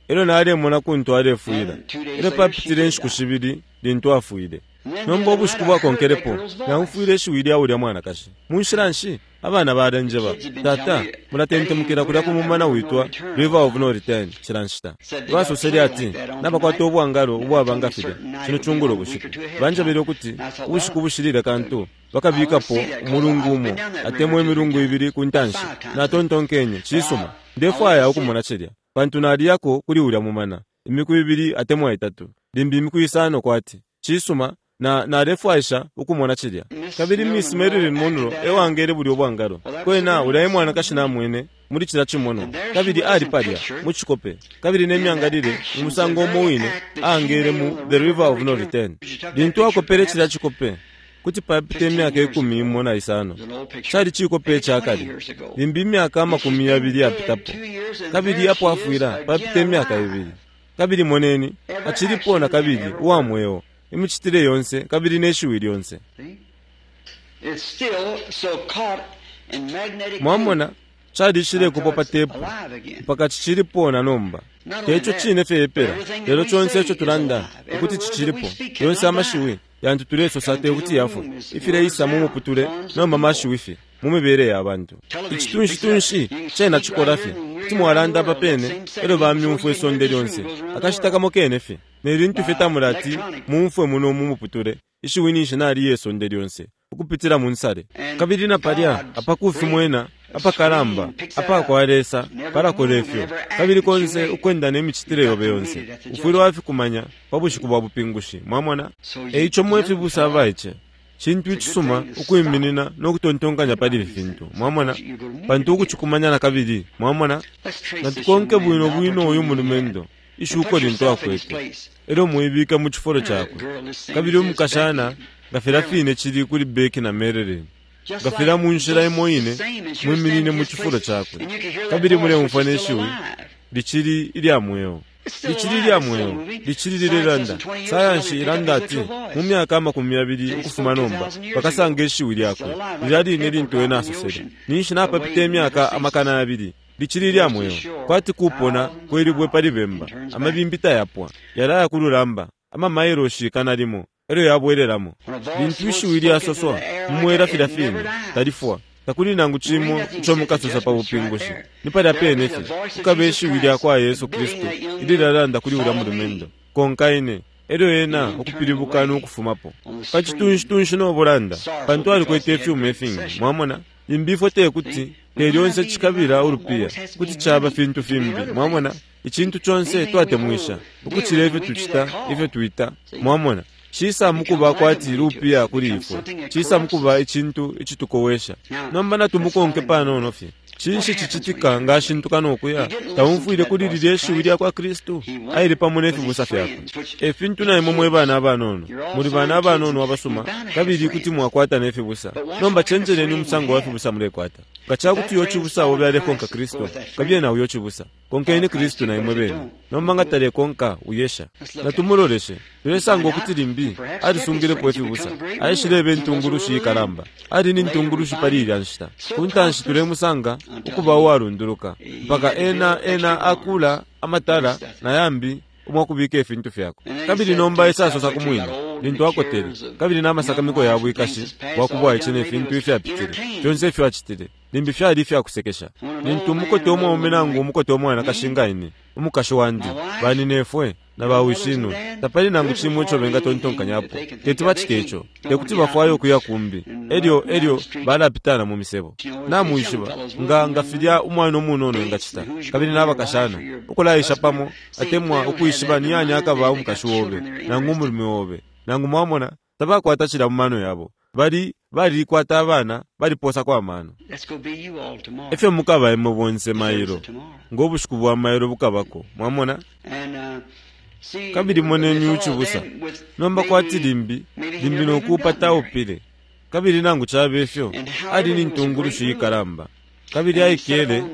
elyo nalemona kuntu alefwila. Elyo papitile inshiku shibili lintu afwile. Nomba ubushiku bwakonkelepo naumfwile ishiwi lya ulya mwanakashi. Munshila nshi abana balenjeba, tata, mulatentemukila kulya ku mumana witwa River of No Return cila nshita. Basosele ati nabakwata ubwangalo ubwaba nga filya cino cungulo bushiku. Banjebele ukuti ubushiku bushilile kantu bakabikapo umulungu umo atemwa imilungu ibili ku ntanshi. Natontonkenye, cisuma, ndefwaya ukumona cilya, pantu naliyako kuli ulya mumana imiku ibili atemwa itatu, limbi imiku isano kwati. Cisuma, na nalefwaisha ukumona cilya. Kabili Miss Marilyn Monroe ewangele bulya ubwangalo. Kwena ulya mwanakashi namwene muli cila cimono, kabili ali palya mu cikope, kabili ne myangalile mu musango umo wine aangele mu The River of No Return. Lintu akopele cilya cikope, kuti papita imyaka ikumi imo na isano, cali cikope cakale, limbi imyaka amakumi yabili yapitapo, kabili apo afwila papita imyaka ibili. Kabili moneni, acilipo na kabili uwa mweo, imicitile yonse kabili ne shiwi lyonse. Mwamona, calishile kupo pa tepu mpaka cicilipo na nomba. Teco cine fye epela, lelo conse ico tulanda ukuti cicilipo. Yonse amashiwi yantu tulesosa te kuti yafwe, ifileisa mu muputule nomba mashiwi fye mu mibele ya bantu. Icitunshi-tunshi cena cikola fye, kuti mwalanda apa pene elyo bamyumfwa isonde lyonse, akashita kamo kene fye. Ne lintu fye tamulati mumfwe muno mu muputule, ishiwi ninshi naliye isonde lyonse ukupitila mu nsale. Kabili na palya apakufi mwena apakalamba apakwa Lesa palakola ifyo, kabili konse ukwenda ne micitile yobe yonse ufwile wafikumanya pa bushiku bwa bupingushi. Mwamona? Eico mwe fibusa abaice, cintu icisuma ukwiminina no kutontonkanya pali ifi fintu. Mwamona? Pantu ukucikumanya na kabili. Mwamona? Natukonke bwino bwino uyu mulumendo ishuko lintu akwete, elyo muibike mu cifulo cakwe. Kabili umukashana nga filya fine cili kuli Becky na Marilyn, nga filya mu nshila imo ine mwiminine mu cifulo cakwe, kabili muleumfwa ne shiwi licili ilya mweo, licili ilya mweo, licili lilelanda. Sayansi ilanda ati mu myaka amakumi yabili ukufuma nomba bakasanga ishiwi lyakwe lilya line lintu ena asosele. Ninshi napapita imyaka amakana yabili Licili lya mweo, kwati kupona kwelibwe pali bemba. Amabimbi tayapwa, yalaya kululamba amamailoshi ikana limo elyo yabwelelamo. Lintu ishiwi lyasoswa mumwela filya fine, talifwa. Takuli nangu cimo ico mukasosa pa bupingushi. Ni palya pene fye kukaba ishiwi lya kwa Yesu Kristu ililalanda kuli ulya mulumendo, konka ine. Elyo ena ukupilibuka nokufumapo pa citunshi-tunshi no bulanda, pantu alikwete ifyuma ifingi. Mwamona, limbi ifwe tekuti te lyonse cikabila ulupiya, kuti caba fintu fimbi. Mwamona, icintu conse twatemwisha ukucila ifyo tucita, ifyo twita. Mwamona, cisa mukuba kwati lupiya kuli ifwe, cisa mukuba icintu icitukowesha. Nomba natumukonke panono fye. Cinshi cicitika nga ashintuka nokuya? Taumfwile kuli lilye shiwi lya kwa Kristu? Aile pamo ne fibusa fyakwe. E fintu na imwe mwe bana abanono, muli bana abanono abasuma, kabili kuti mwakwata ne fibusa. Nomba cenjeleni umusango wa fibusa mulekwata. Nga ca kuti uyo cibusa obe alekonka Kristu, kabiye na uyo cibusa. Konkeni Kristu na imwe bene. Nomba nga talekonka, uyesha. Natumuloleshe. Tulesanga ukuti limbi alisungilepo ifibusa. Aishileba intungulushi ikalamba. Ali ni ntungulushi pali ilya nshita. Ku ntanshi tulemusanga ukuba uwalunduluka mpaka ena ena akula amatala na yambi umwakubika ifintu fyakwe. Kabili nomba esasosa ku mwine lintu akotele, kabili n'amasakamiko ya bwikashi bwakubwaice ne fintu ifyapitile, fyonse ifyo acitile limbi fyali ifyakusekesha. Lintu umukote umwaume nangu umukote umwanakashi nga ine, umukashi wandi, baninefwe na bawishinwe, tapali nangu cimo ico bengatontonkanyapo. Teti bacite ico, tekuti bafwaye ukuya kumbi. Elyo elyo balapitana mu misebo. Namwishiba nga nga filya umwana umunono engacita, kabili n'abakashana ukulaisha pamo, atemwa ukwishiba ni yani akaba umukashi wobe nangu umulume wobe, nangu mwamona tabakwata cila mu mano yabo. Bali balikwata abana, baliposako amano. Efyo mukaba imwe bonse mailo, ngo bushiku bwa mailo bukabako. Mwamona? Kabili moneni ucibusa. Nomba kwati limbi limbi nokuupa taupile, kabili nangu cabe ifyo ali ni ntungulushi ikalamba, kabili aikele,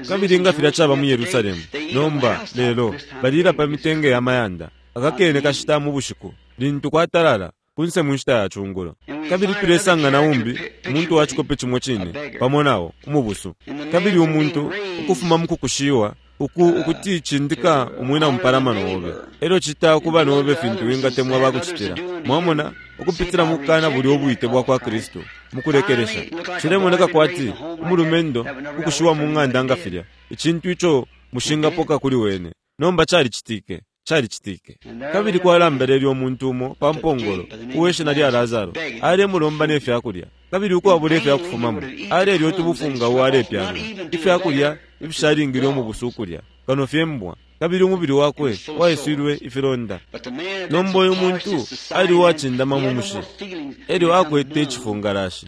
kabili nga filya caba mu Yerusalemu. Nomba lelo balila pa mitenge ya mayanda akakene kashita mu bushiku lintu kwatalala kunse mu nshita ya cungulo. Kabili tulesanga na umbi umuntu wa cikope cimo cine pamo nao umubusu, kabili umuntu ukufuma mu kukushiwa uku ukuti cindika umwina mupalamano obe, elyo cita kuba nobe fintu wingatemwa bakucitila. Mwamona, ukupitila mu kukana buli obwite bwa kwa Kristu mukulekelesha. Cilemoneka kwati umulumendo ukushiwa mu ng'anda nga filya, icintu ico mushingapoka kuli wene. Nomba calicitike, calicitike. Kabili kwalambelele umuntu umo pa mpongolo uwe shina lya Lazaro, alemulomba ne fyakulya, kabili ukwabula ifyakufumamo alelya utubufunga uwalepyanga ifyakulya ifishalingile umubusu ukulya, kano fye mbwa, kabili umubili wakwe waiswilwe ifilonda. Nomba uyu muntu ali uwacindama mu mushi, elyo akwete icifungalashi,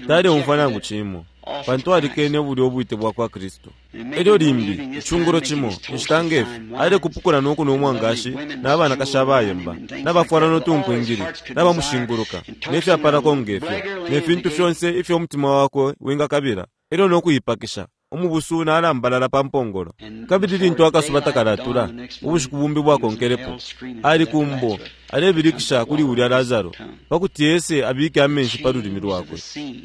taleumfwa nangu cimo, pantu alikene bulya ubwite bwa kwa Kristu. Elyo limbi icungulo cimo inshita ngefi alekupukula nokunwa umwangashi n'abanakashi abayemba n'abafwala notunkwingili n'abamushinguluka nefyapalako ngefyo ne fintu fyonse ifyo umutima wakwe wingakabila, elyo nokuipakisha. Umubusu nalambalala pa mpongolo. Kabili lintu akasuba takalatula, ubushiku bumbi bwakonkelepo, ali kumbo alebilikisha kuli ulya Lazaro pakuti ese abike amenshi pa lulimi lwakwe.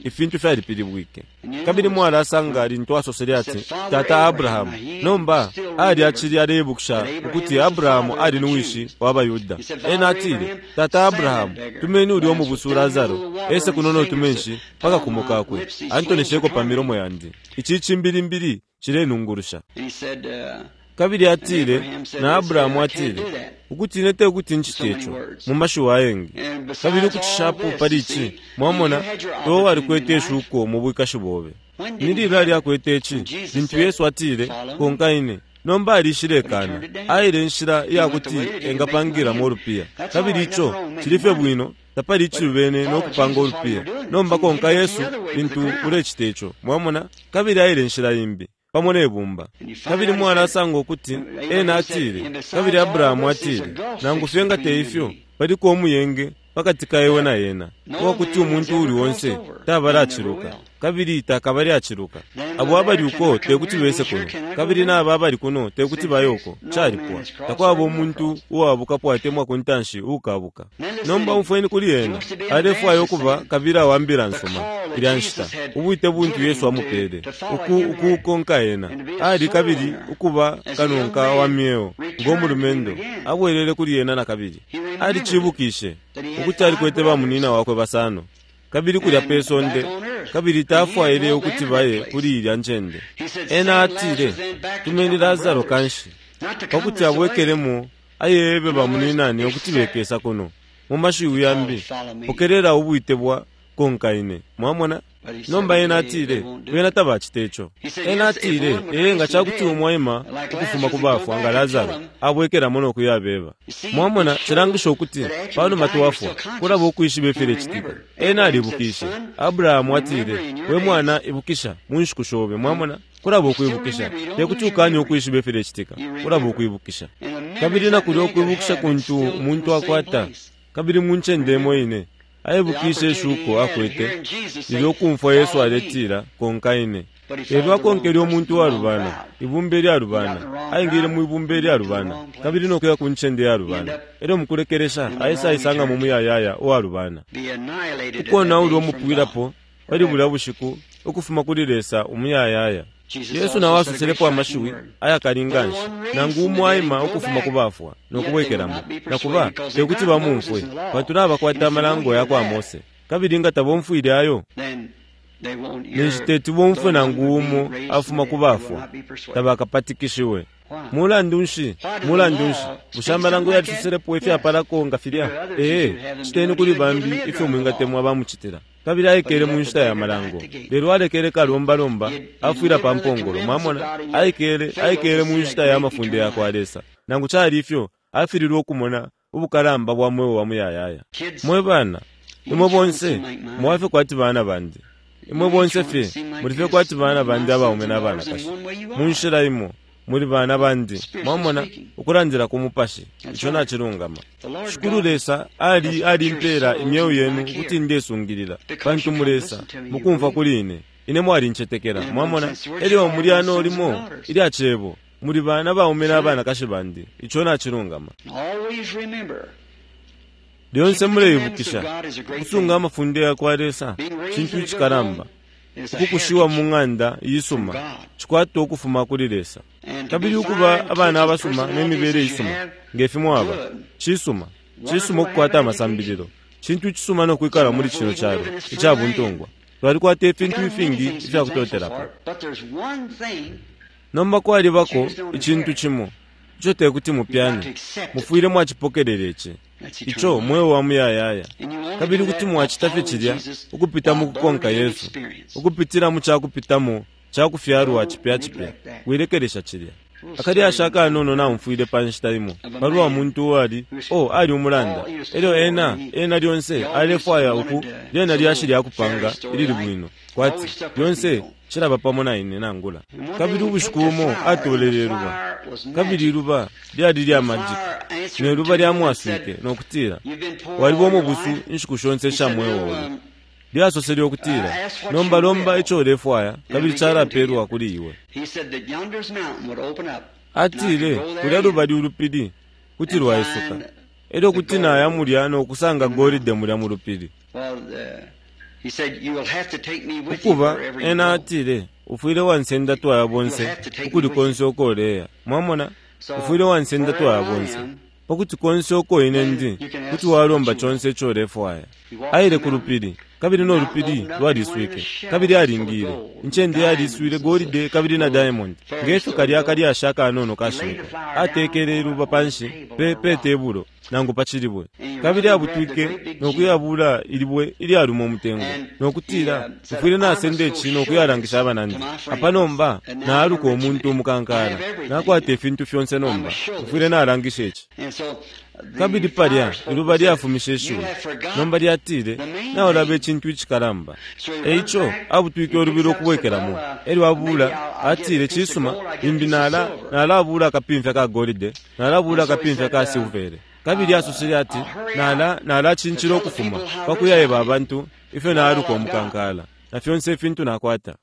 Ifintu fyalipilibwike. Kabili mwalasanga lintu asosele ati, Tata Abrahamu. Nomba ali acili aleibukisha ukuti Abrahamu ali ni wishi wa Bayuda. Ena atile, Tata Abrahamu, tumeni ulya umubusu Lazaro ese kuno notumenshi paka kumo kakwe, antonesheko pa milomo yandi. Ici cimbilimbili cilenungurusha. Kabili atile, na Abrahamu atile, ukuti ine tekuti ncite ico mu mashiwi ayengi. Kabili ukucishapo pali ici, mwamona, iwe walikwete ishuko mu bwikashi bobe. Ni lilali akwete ici? Lintu Yesu atile, konka ine. Nomba alishilekana, aile inshila iyakuti engapangilamo ulupiya. Kabili ico cili fye bwino, tapali icilubene nokupanga ulupiya. Nomba konka Yesu lintu ulecita ico, mwamona, kabili aile inshila imbi pamo ne bumba. Kabili mwalasanga ukuti ena atile, kabili Abrahamu atile, nangu fye nga te ifyo, paliko umuyenge pakati ka iwe na ena, uwakuti umuntu uli onse tabalaciluka, Kabili takabali aciluka. Abo abali uko tekuti bese kuno, kabili naba abali kuno tekuti baye uko. Calipwa. Takwaba umuntu uwabukapo atemwa ku ntanshi uukabuka. Nomba umfweni kuli ena. Alefwaya ukuba kabila wa mbila nsuma ilya nshita. Ubwite buntu Yesu amupele uku ukukonka ena. Ali kabili ukuba kanonka wa myeo ngo mulumendo abwelele kuli ena na kabili. Alicibukishe ukuti alikwete bamunina wakwe basano kabili kulya pe sonde, kabili tafwaile ukuti baye kuli ilya ncende. Ena atile, tumeni Lazaro kanshi pakuti abwekelemo ayebe bamuninane ukuti bekesa kuno. Mu mashiwi yambi, pokelela ubwite bwa konka ine. Mwamona? Nomba ena atile, bena tabacita ico. Ena atile, ee nga cakuti umwaima ukufuma ku bafwa nga Lazaro abwekelamo no kuyabeba. Mwamona, cilangisha ukuti panuma twafwa kulaba ukwishiba ifilecitika. Ena alibukishe. Abrahamu atile, we mwana ibukisha mu nshiku shobe. Mwamona? Kulaba ukwibukisha. Tekuti ukanye ukwishiba ifilecitika, kulaba ukwibukisha. Kabili nakulya ukwibukisha kuntu umuntu akwata, kabili mu ncende imo ine aibukishe ishuko akwete lilyo ukumfwa Yesu aletila konka ine. Lelo akonkele umuntu walubana, ibumba ilyalubana, aingile mu ibumba ilyalubana, kabili nokuya ku ncende yalubana. Elyo mukulekelesha aisa aisanga mu muyayaya uwalubana. Ukonaulwa umupwilapo pali bulya bushiku ukufuma kuli Lesa umuyayaya. Yesu nawe asoselepo amashiwi ayakali nganshi, nangu umo aima ukufuma ku bafwa nokubwekelamo, nakuba tekuti bamumfwe, pantu nabakwata amalango ya kwa Mose. Kabili nga tabomfwile ayo, ninshi teti bomfwe nangu umo afuma ku bafwa, tabakapatikishiwe. Mulandu nshi? Mulandu nshi? Bushe amalango yalisoselepo ifyapalako nga filya? Ee, citeni kuli bambi ifyo mwingatemwa bamucitila. Kabili aikele mu nshita ya malango, lelo alekele kalombalomba afwila pa mpongolo. Mwamona, aikele aikele mu nshita ya mafunde ya kwa Lesa. Nangu cali ifyo, afililwe ukumona ubukalamba bwa mweo wa muyayaya. Mwe bana, imwe bonse mwafe kwati bana bandi. Imwe bonse fye muli fye kwati bana bandi abaume n'abanakashi. Mu nshila imo muli bana bandi. Mwamona, ukulandila ku mupashi, ico nacilungama. Shikulu Lesa ali alimpela imyeo yenu kuti ndesungilila, pantu mulesa mukumfwa kuli ine. Ine mwalincetekela. Mwamona, elyo muli ano limo ilya cebo muli bana baume n'abanakashi bandi. Ico nacilungama. Lyonse muleibukisha ukusunga amafunde ya kwa Lesa cintu icikalamba. Ukukushiwa mu ng'anda isuma cikwata ukufuma kuli Lesa. Kabili ukuba abana abasuma ne mibele isuma ngefi mwaba cisuma. Cisuma ukukwata amasambililo, cintu icisuma nokwikala muli cino calo icabuntungwa. Twalikwata ifintu ifingi ifyakutotelapo. Nomba kwalibako icintu cimo ico tekuti mupyane, mufwile mwacipokelela ici, ico mweo wa muyayaya. Kabili kuti mwacita fye cilya ukupita mu kukonka Yesu, ukupitila mu cakupitamo cakufyalwa cipya cipya. Wilekelesha cilya. Akalyasha akanono naumfwile pa nshita imo palwa muntu uwali o ali umulanda. Elyo ena ena lyonse alefwaya uku lyena lyashi lyakupanga ilili bwino, kwati lyonse cilaba pamo na ine nangula. Kabili ubushiku bumo atolele iluba, kabili iluba lyali lya majika, ne luba lyamwaswike nokutila, waliba umubusu inshiku shonse isha mweo obe. Lyasosele ukutila, nomba lomba ico ulefwaya, kabili calapelwa kuli iwe. Atile, kulya lubali ulupili kuti lwaisuka, elyo kuti naya mulya nokusanga golide mulya mu lupili. Ukuba ena atile, ufwile wansenda twaya bonse ukuli konse uko uleya. Mwamona, ufwile wansenda twaya bonse pakuti konse uko ine ndi kuti walomba conse ico ulefwaya. Aile ku lupili, kabili no lupili lwaliswike, kabili alingile incende yaliswile golide kabili na diamond. Ngefyo kalya kalyasha akanono kashimikwa, atekele iluba panshi pe pe tebulo nangu pa cilibwe, kabili abutwike nokuyabula ilibwe ilyaluma umutengo, nokutila, mfwile nasenda ici nokuyalangisha abanandi. Apa nomba naaluka umuntu umukankala, nakwata ifintu fyonse nomba mfwile nalangisha ici. Kabili palya iluba lyafumishe ishiwi, nomba lyatile, naulaba icintu icikalamba. Eico abutwike ulubilo ukubwekelamo. Elyo abula atile, cisuma, limbi nala nalabula akapimfya ka golide, nalabula akapimfya ka silvere. Kabili asosele ati, nala nalacincila ukufuma pakuyaeba abantu ifyo naaluka umukankala. na fyonse ifintu nakwata.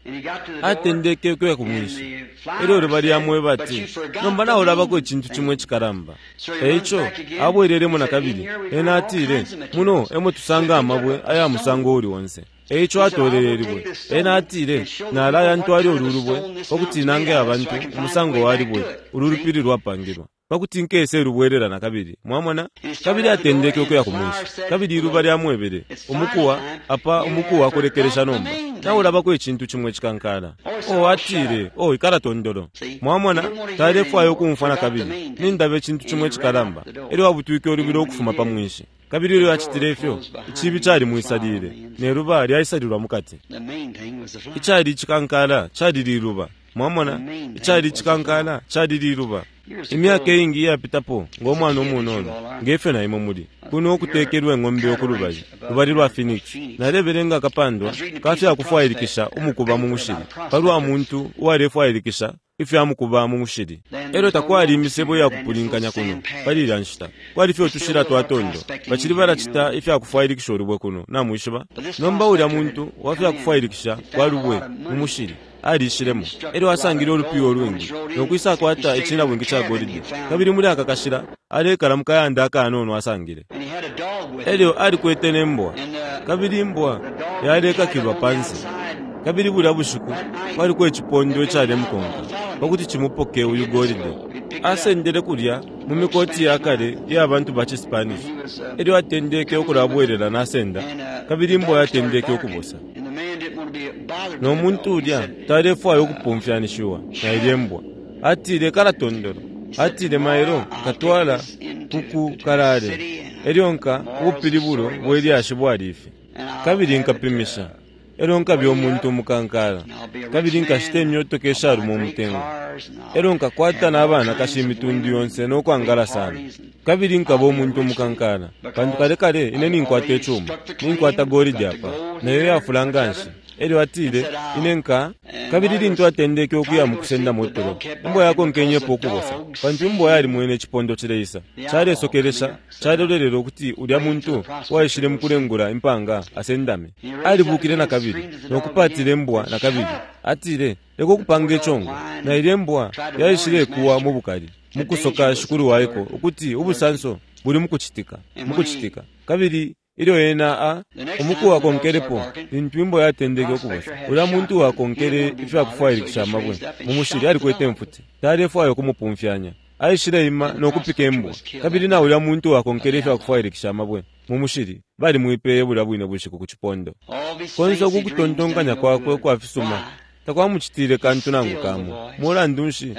Atendeke ukuya ku mwinshi. Elyo luba lyamweba ati, nomba naulabako icintu cimo icikalamba. Eico abwelelemo nakabili. Ena atile, muno emo tusanga amabwe aya musango uli onse. Eico atolele ilibwe. Ena atile, nalaya ntwale ulu lubwe pakuti nange abantu umusango wa libwe ulu lupili lwapangilwa, pakuti nkese lubwelela nakabili. Mwamona? Kabili atendeke ukuya ku mwinshi. Kabili iluba lyamwebele, umukuwa apa, umukuwa akulekelesha nomba naulabako icintu cimo icikankala. O atile, o ikala tondolo. Mwamona? Talefwaya ukumfwa nakabili, nindaba icintu cimo icikalamba. Elyo abutwike ulubilo ukufuma pa mwinshi. Kabili ilyo acitile ifyo, icibi calimwisalile, ne luba lyaisalilwa mukati. Icali icikankala cali liluba. Mwamona? Icali icikankala cali liluba. Imyaka iingi iyapitapo, ngo mwana umunono ngefyo na imwe muli kuno ukutekelwa eng'ombe okulubali lubali lwa Phoenix, nalebelenga akapandwa ka fyakufwailikisha umukuba mu mushili palwa muntu uwalefwailikisha ifya mukuba mu mushili. Elyo takwali imisebo iyakupulinkanya kuno pali ilya nshita, kwali fye utushila twa tondo. Bacili balacita ifyakufwailikisha ulubwe kuno, namwishiba. Nomba ulya muntu wa fyakufwailikisha kwa lubwe mu mushili alishilemo. Elyo asangile ulupiyo ulwingi nokwisa kwata icinabwingi ca golide. Kabili muli aka kashila alekala mukayanda akanono asangile. Elyo alikwete ne mbwa, kabili imbwa yalekakilwa pansi. Kabili bulya bushiku kwaliko icipondo icalemukonka pakuti cimupoke uyu golide. Asendele kulya mu mikoti ya kale iya bantu ba ciSpanish. Elyo atendeke ukulabwelela nasenda, kabili imbwa yatendeke ukubosa. No muntu ulya talefwaya ukupumfyanishiwa na ilye mbwa. Atile kala tondolo. Atile mailo katwala kuku kalale. Elyo nka ubupilibulo bwe lyashi bwali ifi. Kabili nkapimisha. Elyo nkabya umuntu umukankala. Kabili nkashita imyotoka ishaluma umutengo. Elyo nkakwata n'abana kashi imitundu yonse nokwangala sana. Kabili nkaba umuntu umukankala. Pantu kale kale ine ninkwata icuma. Ninkwata golide apa. Nayo yafula nganshi. Elyo atile, ine nka. Kabili lintu atendeke ukuya mu kusenda motolo, imbwa yakonkenyepo ukubosa, pantu imbwa yalimwene icipondo cileisa. Calesokelesha, calolelela ukuti ulya muntu waishile mu kulengula impanga asendame. Alibukile nakabili nokupatila imbwa nakabili. Atile, leka ukupanga icongo. Na ilya imbwa yaishile kuwa mu bukali, mu kusoka shikulu waiko ukuti ubusanso buli mukucitika, mukucitika. Kabili ilyo ena a umuku wakonkelepo, lintu imbwa yatendeke ukubosa, ulya muntu wakonkele ifyakufwailikisha amabwe mu mushili alikwete mfuti. Talefwaya ukumupumfyanya. Aishile ima nokupika imbwa. Kabili na ulya muntu wakonkele ifyakufwailikisha amabwe mu mushili balimwipeye bulya bwine bushiku ku cipondo. Konse uku kutontonkanya kwakwe ukwa fisuma takwamucitile kantu nangu kamo. Mulandu nshi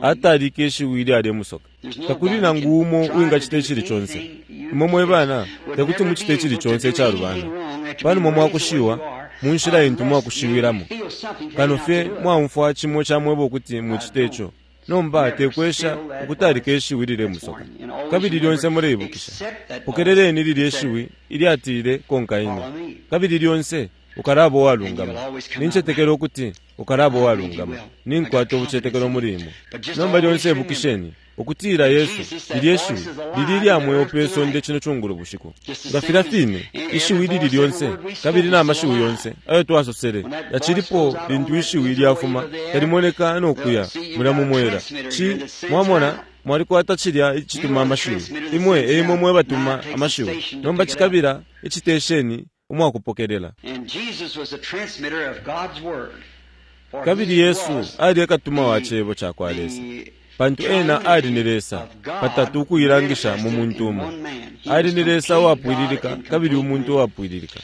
atalike ishiwi ilyalemusoka? Takuli nangu umo uwingacita icili conse. Imwe mwe bana tekuti mucite icili conse icalubana. Panuma mwakushiwa mu nshila intu mwakushiwilamo, kano fye mwaumfwa cimo camweba ukuti mucite ico. Nomba tekwesha ukutalika ishiwi lilemusoka. Kabili lyonse muleibukisha, pokeleleni lilya ishiwi ilyatile konka ine. Kabili lyonse ukalaba uwalungama. Nincetekela ukuti ukalaba uwalungama. Ninkwata ubucetekelo muli imwe. Nomba lyonse ibukisheni ukutila Yesu, lilya ishiwi lili ilya mweo pe sonde cino cungulo bushiku. Nga filya fine ishiwi lili lyonse, kabili na mashiwi yonse ayo twasosele yacilipo lintu ishiwi lyafuma talimoneka nokuya mulya mu mwela. Ci mwamona mwalikwata cilya icituma amashiwi. Imwe eimwe mwe batuma amashiwi. Nomba cikabila icitesheni umwakupokelela. Kabili Yesu ali ekatuma wa cebo ca kwa Lesa, pantu ena ali ni Lesa patatu ukuilangisha mu muntu umo. Ali ni Lesa uwapwililika kabili umuntu uwapwililika.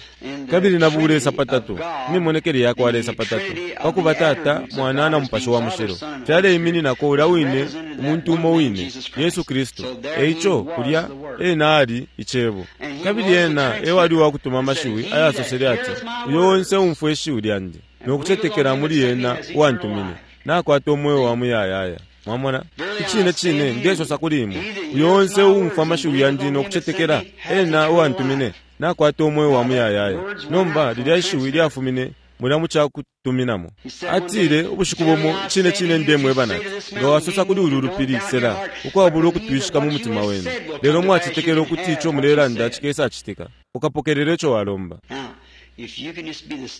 Kabili na bulesa patatu, imimonekele ya kwa Lesa patatu, pakuba Tata, Mwana na Mupashi wa Mushilo, fyaleimininako ulya wine umuntu umo wine, Yesu Kristu. Eico kulya ena ali icebo. Kabili ena ewali uwakutuma amashiwi ayasosele ati, uyo onse umfwe ishiwi lyandi nokucetekela muli ena uwantumine, nakwata umweo wa muyayaya. Mwamona? Icine cine ndesosa kuli imwe, uyo onse uumfwa amashiwi yandi nokucetekela ena uwantumine, nakwata umweo wa muyayaya. Nomba lilya ishiwi lyafumine mulya mu cakutuminamo. Atile ubushiku bumo, icine cine ndemweba nati, nga wasosa kuli ulu lupili sela, ukwabula ukutwishika mu mutima wenu, lelo mwacetekela ukuti ico mulelanda cikesacitika, ukapokelela ico walomba.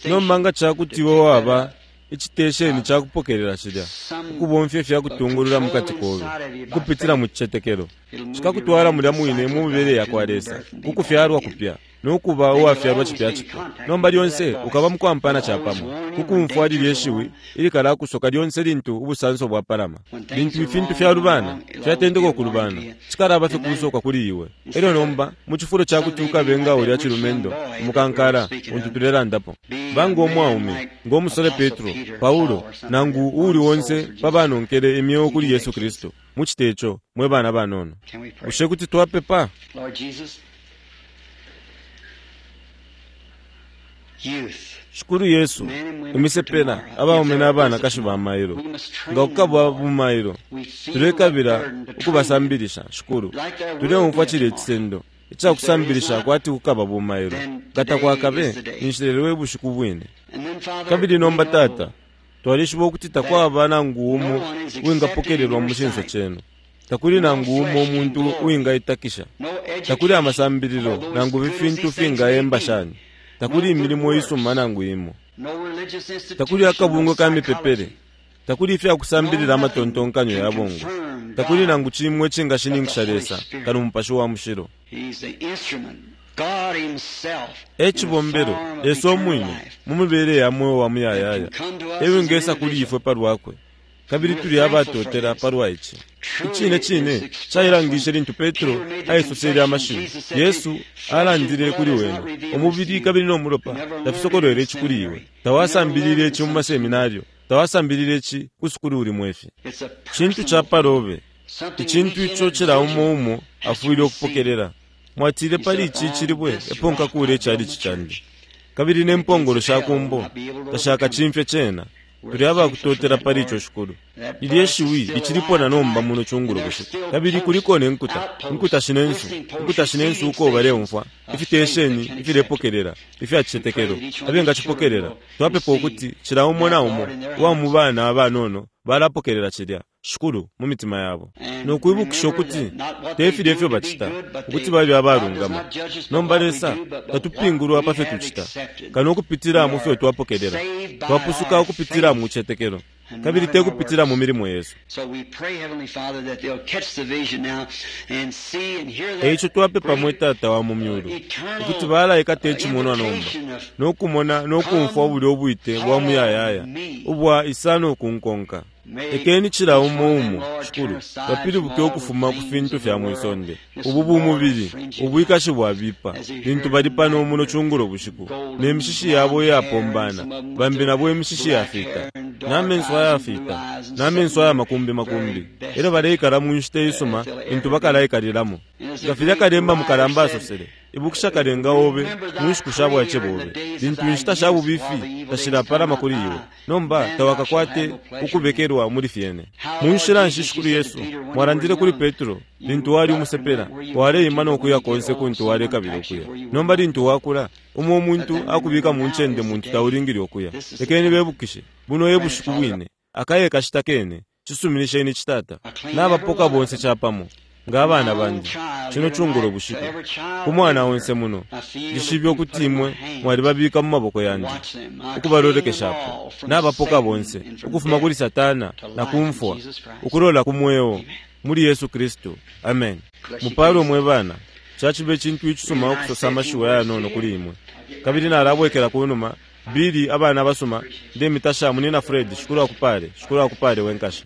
Nomba nga cakuti iwe waba icitesheni cakupokelela cilya, ukubomfya ifyakutungulula mukati kobe ukupitila mu cicetekelo, cikakutwala mulya mwine mu mibele yakwa Lesa, ku kufyalwa kupya no kuba uwafyalwa cipya cipya. Nomba lyonse ukaba mukwampana capamo, ku kumfwa lilye shiwi ilikalakusoka lyonse lintu ubusanso bwapalama. Lintu ifintu fyalubana, fyatendeka ukulubana, cikalaba fye kusoka kuli iwe. Elyo nomba, mu cifulo cakuti ukabe nga ulya cilumendo umukankala untu tulelandapo, ba ngo mwaume, ngo musole Petro, Paulo, nangu uuli onse pa banonkele imyeo kuli Yesu Kristu. Mucite ico, mwe bana banono. Bushe kuti twapepa? Shikulu Yesu, imisepela abaume na banakashi ba mailo, nga kukaba bumailo, tulekabila ukubasambilisha. Shikulu, tuleumfwa cilya icisendo icakusambilisha kwati kukaba bumailo. Nga takwakabe, ninshi lelo e bushiku bwine. Kabili nomba, Tata, twalishiba ukuti takwaba nangu umo uwingapokelelwa mu cinso cenu. Takuli nangu umo umuntu uwingaitakisha. Takuli amasambililo nangu ifintu fingayemba shani. Takuli imilimo isuma nangu imo. Takuli akabungwe ka mipepele. Takuli ifyakusambilila amatontonkanyo ya bongo. Takuli nangu cimwe icingashininkisha Lesa kano Mupashi wa Mushilo. E cibombelo, Lesa umwine, mu mibele ya mweo wa muyayaya, e wingesa kuli ifwe palwakwe. Kabili tuli abatotela palwa ici. Icine cine cailangishe lintu Petro aisosele amashiwi. Yesu alandile kuli wene, umubili kabili no mulopa tafisokolwele ici kuli iwe. Tawasambilile ici mu maseminario, tawasambilile ici ku sukulu uli mwefi. Cintu ca palobe, icintu ico cila umo umo afwile ukupokelela. Mwatile pali ici cilibwe epo nkakule icalici candi, kabili ne mpongolo sha kumbo tashakacimfye cena. Tuli abakutotela pali ico, Shikulu. Lilye shiwi licilipo na nomba muno cungulo bushiku. Kabili kuliko ne nkuta, nkuta shinensu, nkuta shinensu uko baleumfwa ifitesheni ifilepokelela ifya cicetekelo abengacipokelela. Twapepa ukuti cila umo na umo uwa mu bana abanono balapokelela cilya, Shikulu, mu mitima yabo, no kwibukisha ukuti te filya ifyo bacita ukuti babe abalungama. Nomba Lesa tatupingulwa pa fyo tucita, kano ukupitila mu fyo twapokelela. Twapusuka ukupitila mu cicetekelo, kabili te kupitila mu milimo yesu. E ico twapepa mwe Tata wa mu myulu ukuti balaikata icimonwa nomba, no kumona no kumfwa bulya ubwite bwa muyayaya ubwa isa no kunkonka. Lekeni cila umo umo, Shikulu, bapilibuke ukufuma ku fintu fya mwisonde, ubu bumubili, ubwikashi bwabipa, lintu bali pano muno cungulo bushiku, ne mishishi yabo iyapombana, bambi nabo imishishi yafita, na menso ayafita, na menso aya makumbi makumbi, elyo baleikala mu nshita isuma lintu bakalaikalilamo. Nga filya kalemba mukalamba asosele, ibukisha kalenga obe mu nshiku sha bwaice bobe, lintu inshita sha bubifi tashilapalama kuli iwe, nomba tawakakwate ukubekelwa muli fyene. Mu nshila nshi, Shikulu Yesu, mwalandile kuli Petro lintu wali umusepela, waleima no kuya konse kuntu walekabila ukuya. Nomba lintu wakula, umo umuntu akubika mu ncende muntu taulingile ukuya. Lekeni bebukishe, buno e bushiku bwine, akaye kashita kene, cisuminisheni citata, nabapoka bonse capamo nga abana bandi cino cungulo bushiku. Ku mwana onse muno, ndishibe ukuti imwe mwalibabika mu maboko yandi ukubalolekeshapo, nabapoka bonse ukufuma kuli Satana na kumfwa, ukulola ku mweo muli Yesu Kristu. Amen. Mupalwe mwe bana. Cacibe cintu icisuma ukusosa amashiwi ayanono kuli imwe. Kabili nalabwekela kunuma bili abana basuma ndemitasha munina Fred. Shikulu akupale, Shikulu akupale wenkasha.